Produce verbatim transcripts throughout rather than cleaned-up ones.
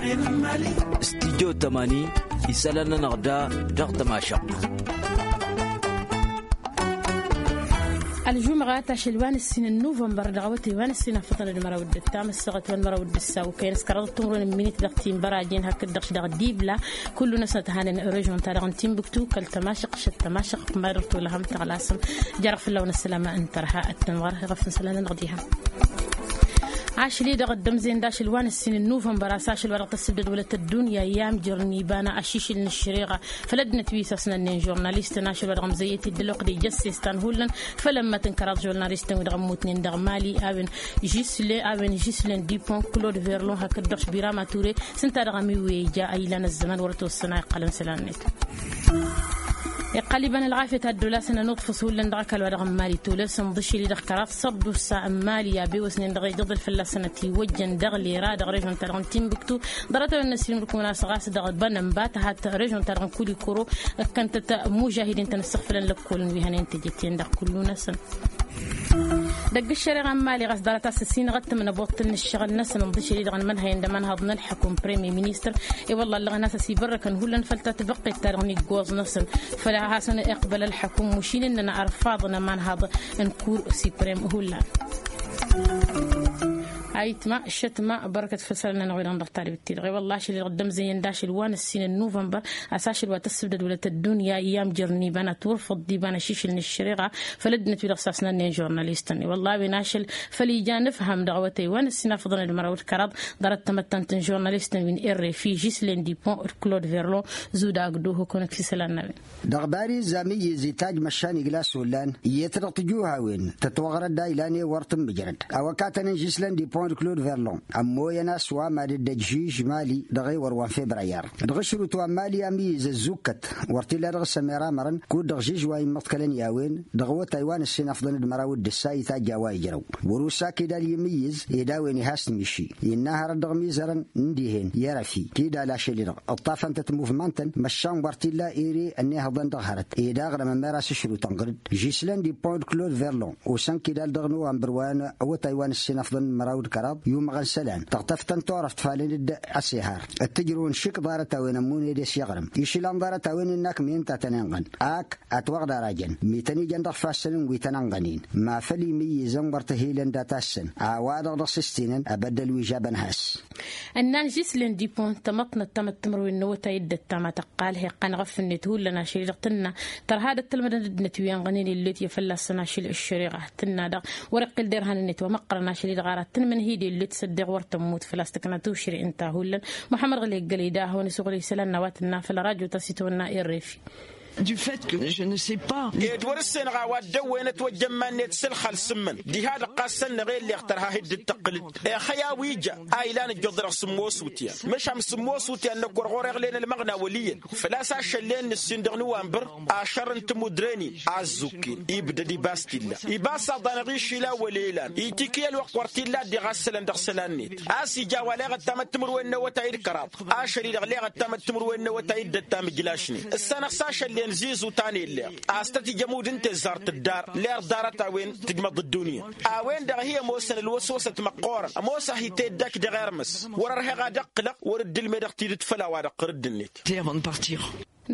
Studyo tămani isălan-nănăɣ da dăɣ-tămašăɣt. Ălžumɣat ašăl wa n-ǝssin n-nuvănbăr dăɣ-awătay wa n-ǝssin afăḍăn d-măraw d-ǝttam ăssaɣăt wa n-măraw d-ǝssaw kăyăn s-kăraḍăt timǝrwen n-minit dăɣ-tinbărajen hakd-dăɣ-š dăɣ-dibla. Kullu-năsăn ăthanen režion-ta-dăɣ n-timbuktu kăl-tămašăɣt šăt tămašăɣt ma dăr-tolăhăm tăɣlasăm. Jarăɣ fălla-wen ăssălam n-tărha ăttănɣăr iɣăf n-isălan-nănăɣ diha. Ašli-dăɣ dd-ămzăyăn d-ašăl wa n-ǝssin n-nuvănbăr a-s ašăl wa dăɣ-tăssǝbdăd wălăt ăddunya i-amjăr n-ibana ašišǝl n-ǝššăreɣa făll-ăddinăt wi s-asnănnen žurnalistăn ašăl wa dăɣ-mzăyyăt-dd ălwăqq d-ejăssestan hullan. Făll-ămmăt n-kăraḍ žurnalistăn wi dăɣ-ămmutnen dăɣ-mali a-wen žislen dipon klod verlon hakd-dăɣ šbirama ture s-ǝnta dăɣ-amiwwe ija a ilan ăzzăman wăr ătwăssăn a iqqălăn isălan-net. Iqqăl iba n-ălɣafyăt ad-dd-olasăn ănuḍfǝs hullan dăɣ-ăkall wa dăɣ-n mali tolăsăn ḍǝšǝl-i-dăɣ kăraḍ săḍusa n-mali a bewăsnen dăɣ-ejăḍ ălfălla-săn ătiwăjjăn dăɣ-lera dăɣ-režon-ta-dăɣ n-timbuktu. Ḍarăt-a-wen n-ăssiilmǝd-kăwăn a-s ɣas dăɣ-bănănba tăhat režon-ta-dăɣ n-kulikoro. Ǝkkăn-tăt mužahidin-tăn ǝssăɣfălăn lăkkolăn wi hănen tejăt-en-dăɣ kullu-năsăn. Dăgg-ǝššăreɣa n-mali ɣas ḍarăt a-s ăsinăɣ ăttămnăboḍt n-ǝššăɣǝl-năsăn ǝnḍǝšăl-i-dăɣ n-imănhăyăn d-ămanhăḍ n-ălḥăkum premier ministăr. I-wălla ǝllăɣăn a-s ăsibărrăkăn hullan făll-tatbăqqet-ta-dăɣ n-iggoẓ-năsăn făll-a hasăn-iqbăl ălḥăkum mušin ǝnnăn ărfaḍăn ămanhăḍ n-kur siprem hullan. Ayǝtma šătma bărkăt făll-isălan-nănăɣ wi-dăɣ n-dăɣ-talbǝt-ti-dăɣ i-wălla ašăl-i-dăɣ dd-ămzăyăn d-ašăl wa n-ǝssin n-nuvănbăr. A-s ašăl wa tăssǝbdăd wălăt ăddunya i-amjăr n-iba n-ad-turfăḍ d-iba n-ašišǝl n-ǝššăreɣa făll-ăddinăt wi-dăɣ sasnănnen žurnalistăn i-wălla a-wen ašăl făll-ija n-ǝfham dăɣ-awătay wa n-ǝssin afăḍăn d-măraw d-kăraḍ. Ḍarăt tamăttant n-žurnalistăn wi n-rfi žislen dipon d-klod verlon. Zuda agdo hukănăt f-isălan n-a-wen. Dăɣ-bariz amǝyyǝz itajj măšan iglas ollan iyyăt dăɣ-tǝjuhawen tătwăɣrăd a ilan i-wăr tǝmmǝjrăd. Awăkatăn n-žislen dipon d-klod verlon ămmoyăn a-s wa mad-dd-ăj žij mali dăɣ-ewăr wa n-febrayar. Dăɣ-ašrut wa n-mali amǝyyǝz ăzzukkăt wăr t-illa dăɣ-s ămeramărăn kud-dăɣ žij wa immăḍkălăn i-a-wen. Dăɣ-awătay wa n-ǝssin afḍăn d-măraw d-ǝssa itajj a-wa ijrăw wăr-usa kidal i-imǝyyǝz ed a-wen ihas timiši. Innă hărăt dăɣ-imizărăn n-dihen i-erăfi kidal ašăl-i-dăɣ ǝṭṭafăn-tăt muvmantăn măšan wăr t-illa ere ănnihăḍăn dăɣ-hărăt ed aɣrǝm ămera s-ašrut ănɣăr-dd žislen dipon d-klod verlon. Osăn kidal dăɣ-nowămbăr wa n-awătay wa n-ǝssin afḍăn d-măraw d-kăraḍ yumăɣăn isălan tăɣtăftăn turăft falăn-dd asehar. Ăttǝjrăwăn šik ḍarăt-a-wen ămmun ed s-iɣrǝm išlan ḍarăt-a-wen innă akm i-ǝnta a tăn-inɣăn ak ătwăɣ d-arajăn mi tăn-ijăn dăɣ-ifassăn n-wi tăn-ănɣănen. Ma făl imǝyyǝzăn wăr t-ăhilăn data-săn a-wa-dăɣ dăɣ-s ǝstinăn abăddăl wi žabăn has. Ǝnnan žislen dipon tamăḍt n-ăttamăt timǝrwen n-awătay d-ăttam a tăqqal heqqăn ɣăf-net hullan ašăl-i-dăɣ tǝnna tărha d-ăttălmădăn ăddinăt wi ănɣănen illet i-fălla-săn ašăl ǝššăreɣa tǝnna-dăɣ wăr-iqqǝl derhan-net wa măqqărăn ašăl-i-dăɣ ara tǝnmǝnhǝy d-illet s-ăddeɣ wăr tămmut făl-a-s tǝkna tušre ǝnta hullan. Muḥămmăd ɣǝl eggălăy da hawăn-isuɣǝl isălan n-a-wa tǝnna făll-rajo ta s-itawănna errefi. Du fait que je ne sais pas. Ed wăr-ǝssenăɣ a-wa dd-ăwwen ătwăjja n-iman-net s-ǝlxal s-ǝmmǝn diha-dăɣ ɣas săn-năɣ elleɣ tărha hi-dd-tăqqǝl-dd. Ixăy a-wa ija a ilan ǝjjuḍ-dăɣ sǝmmos utyan măšan sǝmmos utyan-năk wăr ɣur-iɣlen ălmăɣna wăl' iyyăn. Făl-a-s ašăllen n-ǝssin dăɣ-nowănbăr ašăr n-timudre-nin a ăzzukken ibdăd ibas t-illa ibas aḍa-năɣ išila wăl' elan itikǝy ălwăqq wăr t-illa a dd-iɣassălăn dăɣ-isălan-net. A-s ija a-wa leɣ ăttamăt timǝrwen n-awătay d-kăraḍ ašăl-i-dăɣ leɣ ăttamăt timǝrwen n-awătay d-ăttam ǝjlašnen ǝssanăɣ s-ašăllen zizu ta n-elleɣ a-s tăt-ija amud n-teẓẓart d-dar leɣ ḍarăt-a-wen tǝjmăḍ ăddunya. A-wen-dăɣ hi-ămoosăn ălwăswăsăt măqqoorăn ămoos-ahi teddakt dăɣ-ermăs wăr-ărheɣ ad-ǝqqǝlăɣ wăr-dd-ǝlmedeɣ tidǝt făll-a-wa dăɣ-tărǝdd-net. Avant de partir.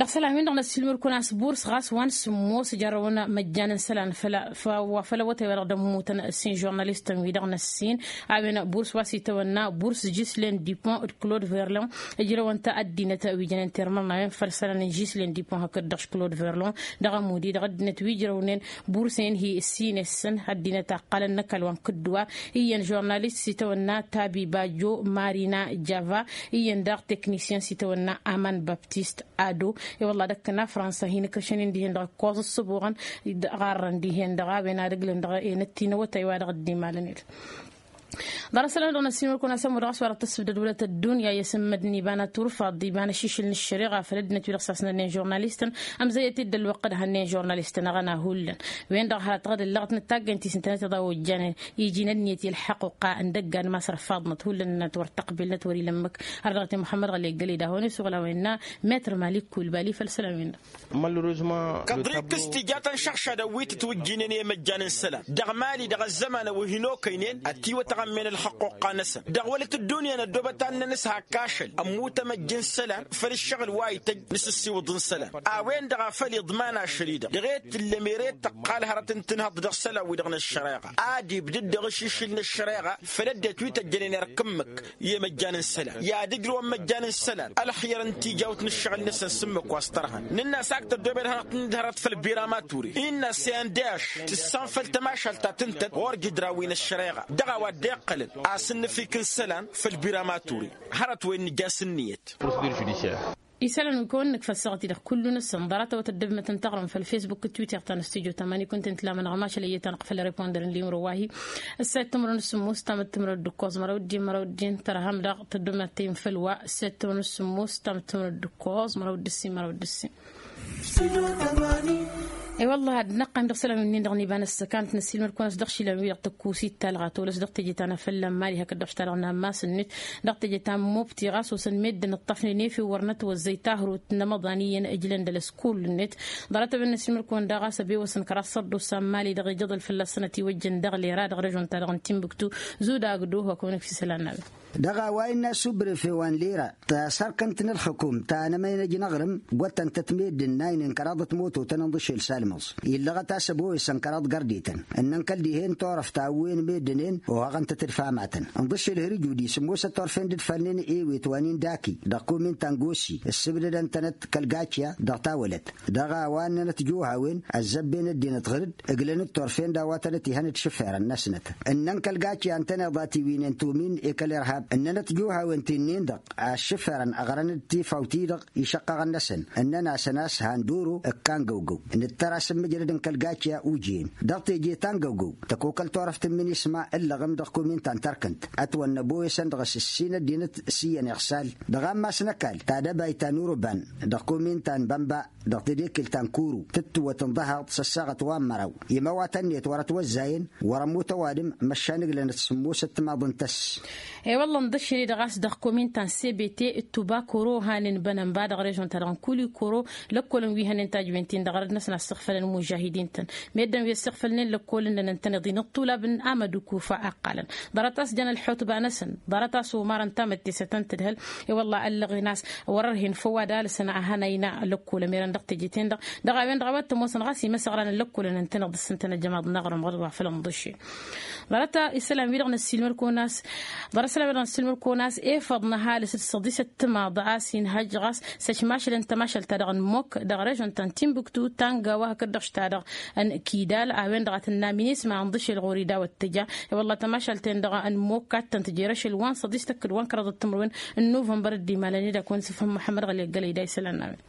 Dăɣ-isălan-win-dăɣ n-ăssiilmăd-kăwăn a-s burs ɣas wa n-sǝmmos jarrăwăn măjjan n-isălan făll-a wa făll-awătay wa dăɣ-dd-ămmutăn ǝssin žurnalistăn-wi-dăɣ n-ăssin. A-wen burs wa s-itawănna burs žislen dipon d-klod verlon. Ǝjrăwăn-t ăddinăt wi jănen termărnawen făll-isălan n-žislen dipon hakd-dăɣ š-klod verlon dăɣ-ămudi dăɣ-ăddinăt wi ǝjrăwnen bursen hi-ǝssin-esăn ăddinăt a ǝqqălăn n-ăkall wa n-kǝddǝwar. Iyyăn žurnalist s-itawănna tabi bajo marina java. Iyyăn daɣ teknisyen s-itawănna aman baptist ado. I-wălla dăɣ-kănna fransa hin-ǝkrǝšăn-in dihen-dăɣ ǝkkoẓ ǝssǝbuɣăn ɣarrăn dihen-dăɣ a-wen ad-ǝglǝn dăɣ-enăt ti n-awătay wa dăɣ-dd-imalăn-ed. Ḍarăt isălan-dăɣ n-ăssiinmăl-kăwăn a-s ămmudd ɣas wa dăɣ-tăssǝbdăd wălăt ăddunya i-asǝmmăd n-iba n-aturfaḍ d-iba n-ašišǝl n-ăššăreɣa făll-ăddinăt wi-dăɣ sasnănnen žurnalistăn. Ămzăyăt-dd ălwăqq d-hănnen žurnalistăn aɣăna hullan wen-dăɣ hărăt ɣǝd ǝllăɣăt n-taggăynt-i s-ǝntănăt iḍawăjjanen iji n-ănniyăt i-ălḥăqquqa n-dăggan ma s-ărfaḍnăt hullan ǝnnăt wăr tăqbilnăt wăr-ila ǝmmǝk. Har dăɣ-t i-muḥămmăd ɣăli ăggălăy d-ahăwăn isuɣǝl a-wa innă metr malik kulbali făll-isălan-win-dăɣ. Kăḍrikǝs tija tănšăɣšadăn wi tǝtwǝjjǝynen i-imăjjan n-isălan dăɣ-mali dăɣ-ăzzăman ăwwăh-in okăynen ătiwătăɣ. Ămmen ălxăqquqqa-năsăn dăɣ-wălăt ăddunya năddoobăt ad-nănǝshak ašăl ămmut amăjj n-isălan făll-ǝššăɣǝl wa ităjj n-asǝssiwǝḍ n-isălan. A-wen-dăɣ a făl iḍman ašăl-i-dăɣ dăɣ-e-d tǝllăm ere tăqqal hărăt n-tinhăḍt dăɣ-isălan-wi-dăɣ n-ăššăreɣa ad-ibdǝd dăɣ-ašǝššǝl n-ăššăreɣa făll-ăddinăt wi tăjjănen erk ǝmmǝk i-imăjjan n-isălan i-ad-ǝjrǝwăn imăjjan n-isălan ălxiyăr n-tijawt n-ǝššăɣǝl-năsăn s-ǝmmǝk wa s-tărhăn. Nǝnn'-as ak tăddoobed hărăt n-dd-hărăt făll-biramaturi innă s-e n-d-e-ašš tǝssanfăl tămašalt ta tǝntăt ɣur-jǝdran wi n-ăššăreɣa dăɣ-a-wa dd-iqqălăn asǝnnǝfik n-isălan făll-biramaturi. Hărăt-wen nǝjas ǝnniyăt. Isălan wi kăwăn-nǝkf ăssaɣăt-i-dăɣ kullu-năsăn ḍarăt-awăt ăddăbmăt n-taɣrǝm făll-facebook d-twitter ta n-stujo tamani kunta intǝlamănăɣ mašăl ăyyăt-anăɣ făll-reponder n-limro wa-hi. Ǝssa ittǝmrăn s-sǝmmus tamǝttǝmrăd d-ǝkkoẓ măraw dd-i măraw dd-i n-tărham dăɣ-tăddumăt tayǝm făll-wa ǝssa ittǝmrăn s-sǝmmus tamǝttǝmrăd d-ǝkkoẓ măraw dd-ǝssin măraw dd-ǝssin. E-wălla ad-năqqan dăɣ-isălan wi-nin-dăɣ n-iba n-ăssăkan ad-t-năssiilmăd-kăwăn-as dăɣ-išilan-wi-dăɣ tăkkusit ta ălɣatolăs dăɣ-teje ta n-afălla n-mali hakd-dăɣ š-ta-dăɣ n-ammas-net dăɣ-teje ta n-mobti ɣas osăn meddǝn ǝṭṭăfnen efew wăr nătwăzzăy tahǝrut n-amăḍan iyyăn ǝjlăn d-ălăskull-net. Ḍarăt-a-wen năssiilmăd-kăwăn daɣ a-s ăbewăsăn kăraḍ sărdusa n-mali-dăɣ ijăḍăl fălla-s sănăt iwăjjăn dăɣ-lera dăɣ-režon-ta-dăɣ n-timbuktu. Zudagdo hakăwăn-ǝkf isălan n-a-wen. Dăɣ-a-wa innă asubref i-wa n-lera tasărkănt n-ǝlxǝkum ta n-emăynăj n-aɣrǝm. Wăttăn-tăt meddǝn n-aynen kăraḍăt mototăn ǝnḍǝšel s-almăẓ illăɣăt a-s ăbowesăn kăraḍ gărdităn ǝnnăn kăl-dihen turăft ta ăwwen meddǝnen. Ohaɣăn-tăt d-famatăn ǝnḍǝšel hărǝj udi sǝmmosăt turfen d-ǝdfalnen ewet wa n-indaki dăɣ-kumin ta n-gosi ǝssǝbdădăn-tănăt kăl-gačya dăɣ-tawălăt. Dăɣ-a-wa ǝnnănăt juhawen ăzzăbben ăddinăt ɣǝr-dd ǝglăn-dd turfen d-a-wa tănăt ihăn d-išǝferăn-năsnăt ǝnnăn kăl-gačya ǝntăneḍ a tiwǝynen tumin i-kăl-irhab ǝnnănăt juhawen ti-nin-dăɣ. Aššǝferăn ăɣrăn-dd tifawt-i-dăɣ išăqqăɣăn-năsăn ǝnnăn-asăn a-s han d-oro ǝkkan găwgăw. Nǝttăr a-s ǝmmǝjrăd n-kăl-gačya ujǝyăn dăɣ-teje ta n-găwgăw tăkokăl turăft n-minisma ǝllăɣăm dăɣ-kumin ta n-tărkǝnt ătwănna ăboyăsăn dăɣ-s ǝssin ăddinăt s-iyyăn iɣsal. Dăɣ-ammas n-ăkall ta d-ăbayt ta n-urǝban dăɣ-kumin ta n-bănba dăɣ-tedekkǝlt ta n-kuru tǝttǝwăt ǝnḍăhaḍ s-ăssaɣăt wa n-măraw imăwatăn-net wăr-ătwăzzayăn wăr-ămmut ăwadǝm. Măšan ǝglănăt sǝmmosăt timaḍ n-tăss. E-wălla ǝnḍǝššǝl-i-dăɣ a-s dăɣ-kumin ta n-sebete d-tubakoro hanen bănănba dăɣ-režon-ta-dăɣ n-kulikoro. Lăkkolăn wi hănen tajwen-tin-dăɣ arăd-năsăn a ǝssăɣfălăn imužahidin-tăn meddǝn wi ăssăɣfălnen lăkkolăn-nănăn tăneḍ-in ǝṭṭulab n-amădukuf a ăqqalăn. Ḍarăt a-s jăn ălḥutba-năsăn ḍarăt a-s omarăn tamăttesăt ăntădhăl. I-wălla ăllăɣen a-s wăr-ărhen făw ad-alǝsăn ad-hănăyna lăkkolăn merăn dăɣ-teje-ten-dăɣ. Dăɣ-a-wen-dăɣ a-wa t-ămoosăn ɣas imăsăɣrăn n-lăkkolăn ǝntăneḍ d-sǝntăn ăjămaḍ n-aɣrǝm ɣur-wa făll-ănḍǝšel. Ḍarăt isălan-wi-dăɣ năssiilmăr-kăwăn a-s ḍarăt isălan-wi-dăɣ năssiilmăr-kăwăn a-s efăḍ n-ăhalǝs d-săḍisăt timaḍ a-s inhăjj ɣas s-ăšmašălăn tămašalt-ta-dăɣ n-mok dăɣ-režon ta n-timbuktu ta n-gawa hakd-dăɣ š-ta-dăɣ n-kidal. A-wen-dăɣ a tǝnna minisma ǝnḍǝšel ɣur-i daw-ăttăja. I-wălla tămašalt-en-dăɣ n-mok a t-tăn-tǝjer ašăl wa n-săḍis tăkk d-wa n-kăraḍăt timǝrwen n-nuvănbăr d-imalăn-i dak wăn s-ifhǝm muḥămmăd ɣăli ăggălăy da isălan n-a-wen.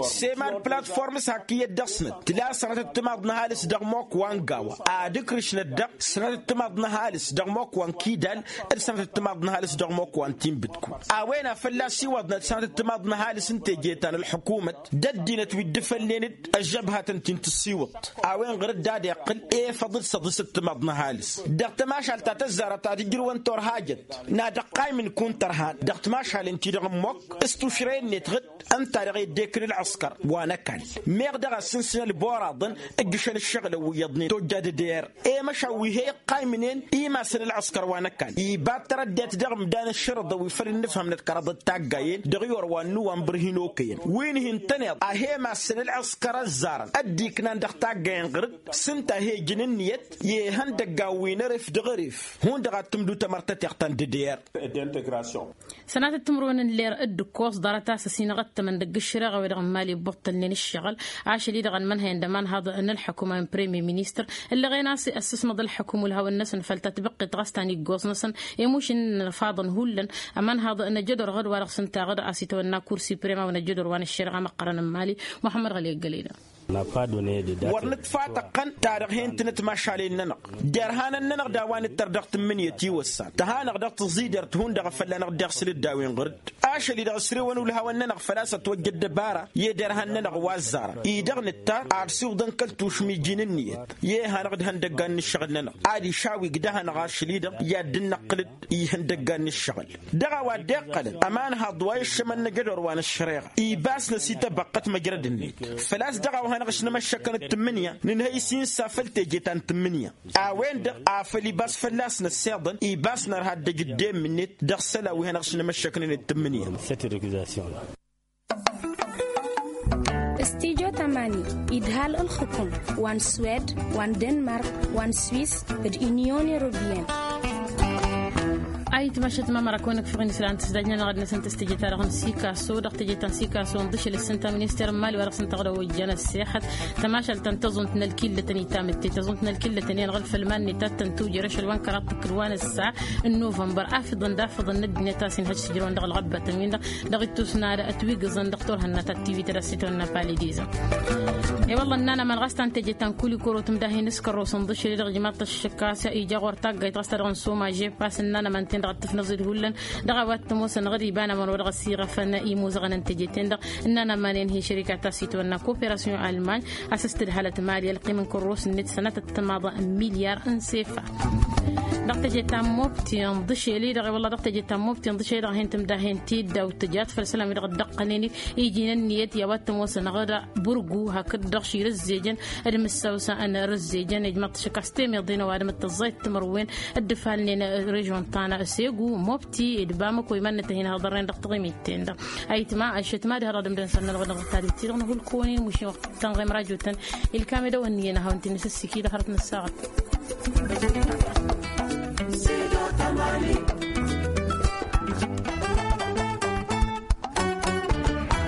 Sema d-platform s-hak iyyăt dăɣ-snăt tǝla sănatăt timaḍ n-ăhalǝs dăɣ-mok wa n-gawa ad-ǝkrǝšnăt dăɣ-sănatăt timaḍ n-ăhalǝs dăɣ-mok wa n-kidal d-sănatăt timaḍ n-ăhalǝs dăɣ-mok wa n-tinbǝdku. A-wen a fălla-s iwăḍnăt sănatăt timaḍ n-ăhalǝs n-teje ta n-ălḥukumăt d-ăddinăt wi dd-ifălnen-dd ăžžăbhatăn ti n-tǝssiwǝḍt. A-wen ɣur-dd ad-iqqǝl efăḍ d-săḍisăt timaḍ n-ăhalǝs dăɣ-tămašalt ta tăzzarăt ad-ǝjrǝwăn turhajăt n-ad-ăqqaymǝn kunta ărhan dăɣ-timašalen-ti-dăɣ n-mok s-tušre-net ɣǝd ǝnta-dăɣ i-dd-ekǝl ălɣǝskăr wa n-ăkall. Meɣ dăɣ-a ǝssǝnsǝn ălboraḍăn ǝjjǝšăn ǝššăɣǝlăn wi iyyăḍnen tojja d-eder. I-măšan wi he-iqqaymnen imasăn ălɣǝskăr wa n-ăkall iba d-tărăddayt dăɣ-imdan ǝššărǝḍăn wi făll-innǝfhămnăt kăraḍăt taggayen dăɣ-iwăr wa n-nuwanbăr hin-okăyăn wi n-hin-tăneḍ a he-imassăn ălɣǝskăr ăzzarăn ăddiknan dăɣ-taggayen ɣǝr-dd s-ǝnta a he-ijǝn ǝnniyăt i-ihăndăggan wi n-eref dăɣ-eref. Hundăɣ ad-tǝmdǝw tamărtăteɣt ta n-dd-er. Sănatăt timǝrwen n-ler d-ǝkkoẓ ḍarăt a-s ăsinăɣăttămăn dăgg-ǝššăreɣa-wi-dăɣ n-imali ǝbbuṭṭălnen ǝššăɣǝl. Ašăl-i-dăɣ ănmănhăyăn d-ămanhaḍ n-ălḥăkum a-wen premier ministăr ǝllăɣen a-s ăssǝsmăḍ ălḥăkum ulhawăn-năsăn făll-tatbǝqqet ɣas ta n-iggoẓ-năsăn i-mušǝn n-inǝfaḍăn hullan. Ămanhaḍ n-ajădor ɣǝd-wa-dăɣ s-ǝnta ɣǝd a-s itwănna kur siprem a-wen ajădor wa n-ǝššăreɣa măqqărăn n-imali. Muḥămmăd ɣăli ăggălăy-dăɣ. Wăr nǝtfatăqqăn ta dăɣ-hen-tǝnăt mašalen-nănăɣ derhanăn-nănăɣ d-a-wa nǝttăr dăɣ-tǝmmǝnǝyăt iwăssan tăha-năɣ dăɣ-tǝẓidert hundăɣ a fălla-năɣ dd-iɣsǝl-dd a-wen ɣur-dd. Ašăl-i-dăɣ ǝsrewăn ulhawăn-nănăɣ făl-a-s ătwăjja ăddăbara i-derhan-nănăɣ wa ăzzarăn-i-dăɣ nǝttar ad-siwǝḍăn kăl-tušǝm iji n-ǝnniyăt i-e hanăɣ-dd ihăndăggan n-ǝššăɣǝl-nănăɣ ad-išawig dăɣ-hanăɣ ašăl-i-dăɣ i-ad-dd-năqqǝl-dd ihăndăggan n-ǝššăɣǝl. Dăɣ-a-wa dd-iqqălăn ămanhaḍ wa iššămăn n-ajădor wa n-ăššăreɣa ibas-năs i-tabăqqăt măjrăd-net făl-a-s dăɣ-a-wa hanăɣ-s n-emăššăkăn d-tǝmmǝnǝya nǝnhăy s-insa făll-teje ta n-tǝmmǝnǝya. A-wen-dăɣ a făl ibas fălla-s n-ăssiḍăn ibas nărha ăddăj d-emmǝnet dăɣ-isălan wi hanăɣ-snămăššăknen d-tǝmmǝnǝya. Stijo tamani idhal ǝlxǝkum wa n-swed wa n-denmark wa n-swis d-inyon europien. Ayǝtma ašăt mamăra kăwăn-ǝkfăɣ-in isălan tǝsdajnăn aɣăd-năsăn tăstăje-ta-dăɣ n-sikaso dăɣ-tăje ta n-sikaso n-ḍǝšel s-sǝnta minister n-mali wa dăɣ-săn tăɣdăwăjjan ăssexăt tămašalt ta n-tăẓunt n-ălkillătăn itamǝtte tăẓunt n-ălkillătăn i-anăɣ-ǝlfăl iman-net ad-tăn-tujăr ašăl wa n-kăraḍ tǝkkǝd wa n-ǝssa n-novămbăr afǝḍăn d-afǝḍăn n-ăddinăt a-s inhăj s-ǝjrăwăn dăɣ-ălɣăbbătăn-win-dăɣ dăɣ-ittus n-ad-ătwigǝẓăn dăɣ-turhǝnna ta t-tivităd a-s itwănna palidiza. I-wălla ǝnnanăman ɣas ta n-teje ta n-kulikoro tǝmdahen s-kărrosăn ḍǝšel-i-dăɣ ijmaḍ-t ăššăk a-s ija ɣur-taggayt ɣas ta dăɣ-nǝssomaže pas ǝnnanăman-ten-dăɣ ad-tǝfnăẓ-dd hullan dăɣ-a-wa t-ămoosăn ɣǝd iba n-amănăw dăɣ-ăsiɣăfăn imuzăɣăn n-teje-ten-dăɣ. Ǝnnanăman-en hi-šărika ta s-itwănna koperasyon almany a-s s-tǝdhalăt mali ălqim n-kărros-net sănatăt timaḍ n-milyar n-sefa. Dăɣ-teje ta n-mobti n-ḍǝšel-i-dăɣ i-wălla dăɣ-teje ta n-mobti n-ḍǝšel-i-dăɣ a hin-tǝmdahen tiddaw tǝjat făll-isălan-wi-dăɣ dd-ăqqănen iji n-ǝnniyăt i-a-wa t-ămoosăn ɣǝd burgu hakd-dăɣ širǝzzejăn d-imǝssawsa n-irǝzzejăn ijmăḍ-t šăkk a-s temeḍe n-ăwadǝm d-tăẓẓayăt timǝrwen dd-ǝfalnen režon ta n-segu mobti d-bamăko iman-năt a hin-hăḍărnen dăɣ-taɣimit-ten-dăɣ. Ayǝtma ăššăt ma d-hărăt dăɣ-dăɣ n-sănnălăɣ dăɣ-talǝt-ti-dăɣ n-hulkăwăn-in mušin wăqq tănɣem rajotăn ilkam edăwăn n-iyyăn a hawăn-t-in-isǝssǝki dăɣ-hărăt n-ăssaɣăt.